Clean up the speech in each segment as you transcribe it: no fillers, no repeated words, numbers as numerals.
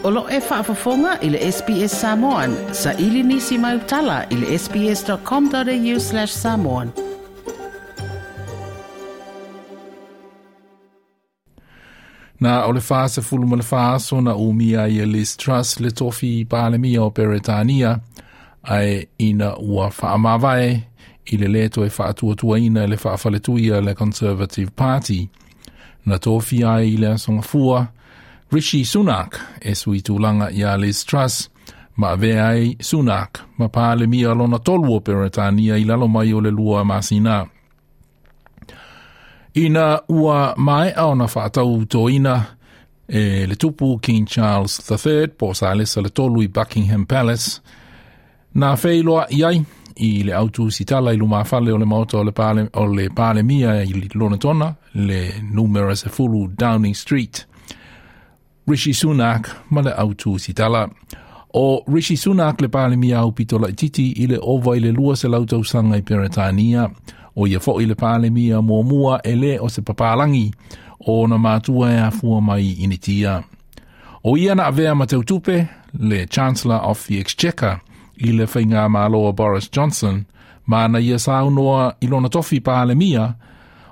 O lo o e faafofoga i le SBS Samoan. Saili nisi mau tala i le sbs.com.au/samoan. Na o le 44 aso na umia ai e Liz Truss le tofi Palemia o Peretania, ae ina ua faamavae i le lē toe faatuatuaina e le faafaletuia le Conservative Party. Na tofia ai i le aso Gafua Rishi Sunak e sui tulaga iā Liz Truss, ma avea ai Sunak ma Palemia lona tolu o Peretania i lalo mai o le 2 masina. Ina ua maea ona faatautoina e le tupu King Charles III po o Salesa le Tolu i Buckingham Palace, na feiloai ai i le autusitala i lumafale o le maota o le, pale, o le Palemia i Lonetona, le numera 10 Downing Street. Rishi Sunak ma le autusitala. O Rishi Sunak le Palemia aupito laititi i le ova i le 200 tausaga i Peretania, o ia foi le Palemia muamua e lē o se papalangi o ona matua e afua mai i Initia. O ia na avea ma teutupe, le Chancellor of the Exchequer, i le faigamalo a Boris Johnson, ma na ia saunoa i lona tofi Palemia,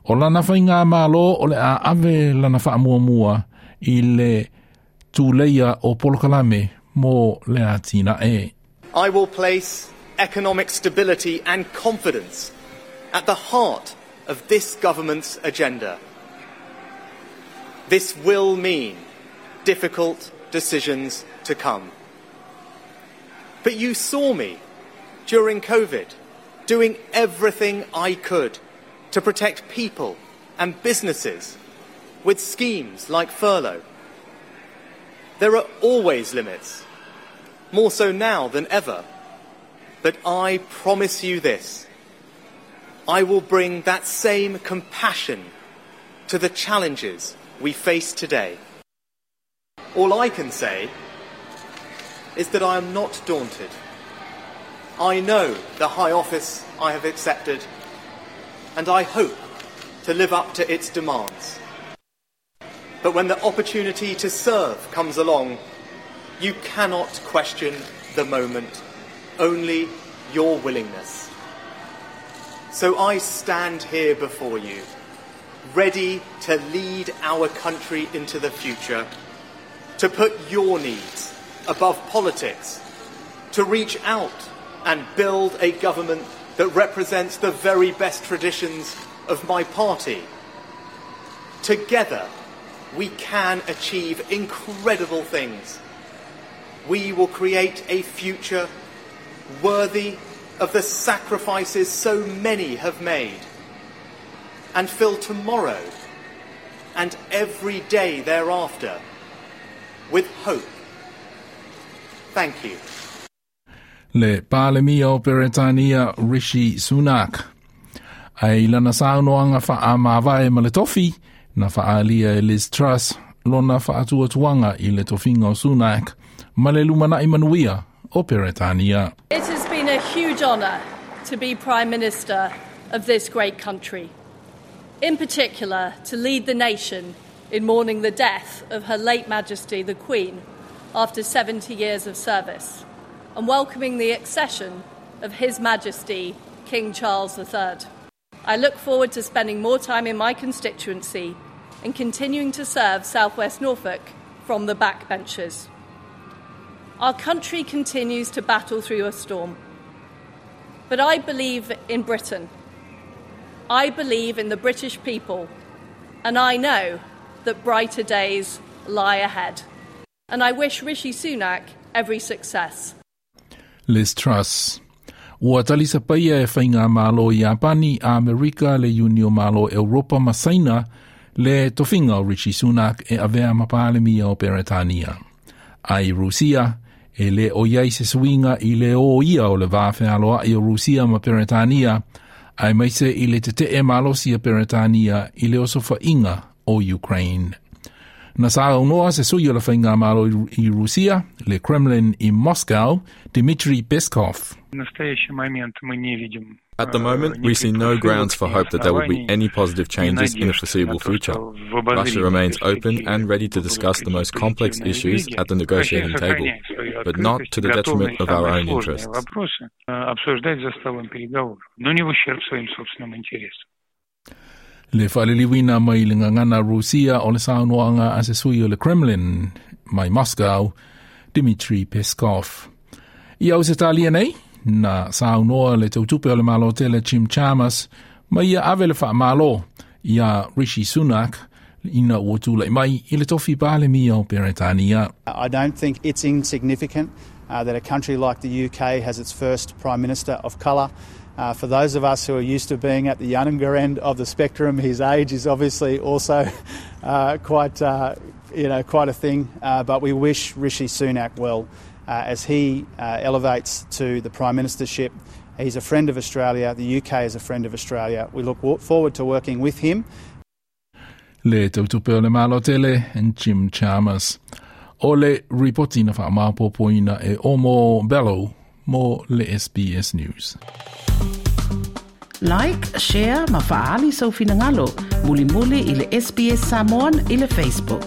o lana faigamalo o le a ave lana faamuamua i le tuleia o polokalame mo le atinae. I will place economic stability and confidence at the heart of this government's agenda. This will mean difficult decisions to come. But you saw me during COVID doing everything I could to protect people and businesses with schemes like furlough. There are always limits, more so now than ever. But I promise you this I will bring that same compassion to the challenges we face today. All I can say is that I am not daunted. I know the high office I have accepted, and I hope to live up to its demands. But when the opportunity to serve comes along, you cannot question the moment, only your willingness. So I stand here before you, ready to lead our country into the future, to put your needs above politics, to reach out and build a government that represents the very best traditions of my party. Together, we can achieve incredible things. We will create a future worthy of the sacrifices so many have made and fill tomorrow and every day thereafter with hope. Thank you. Le Palemia o Peretania Rishi Sunak. Ae i lana saunoaga faamavae ma le tofi, na faaalia e Liz Truss lona faatuatuaga i le tofiga o Sunak ma le lumanai manuia o Peretania. It has been a huge honour to be Prime Minister of this great country. In particular, to lead the nation in mourning the death of Her late Majesty the Queen after 70 years of service and welcoming the accession of His Majesty King Charles III. I look forward to spending more time in my constituency and continuing to serve South West Norfolk from the backbenches. Our country continues to battle through a storm. But I believe in Britain. I believe in the British people, and I know that brighter days lie ahead. And I wish Rishi Sunak every success. Liz Truss. Ua talisapaia e faigamalo Iapani, Amerika, le Iuni o Malo Europa ma Saina le tofiga o Rishi Sunak e avea ma Palemia o Peretania. Ai Rusia, e lē o i ai se suiga i le ōia o le va fealoai o Rusia ma Peretania, aemaise i le tete'e malosi a Peretania i le osofaiga o Ukraine. Na saunoa se sui o le faigamalo i Rusia, le Kremlin i Moscow, Dmitry Peskov. At the moment, we see no grounds for hope that there will be any positive changes in the foreseeable future. Russia remains open and ready to discuss the most complex issues at the negotiating table, but not to the detriment of our own interests. Le faaliliuina mai le gagana Rusia o le saunoaga a se sui o le Kremlin mai Moscow, Dmitry Peskov. I Ausetalia nei, na saunoa le tautupe o le Malo tele Jim Chalmers, ma ia ave le faamalo iā Rishi Sunak ina ua tulai mai i le tofi Palemia o Peretania. I don't think it's insignificant that a country like the UK has its first Prime Minister of colour. For those of us who are used to being at the younger end of the spectrum, his age is obviously also quite, quite a thing. But we wish Rishi Sunak well as he elevates to the Prime Ministership. He's a friend of Australia. The UK is a friend of Australia. We look forward to working with him. Le tautupe o le Malo tele, Jim Chalmers. O le ripoti na faamaopoopoina e Omo Bello mo le SBS News. Like, share ma faaali sou finagalo. Mulimuli i le SBS Samoan i le Facebook.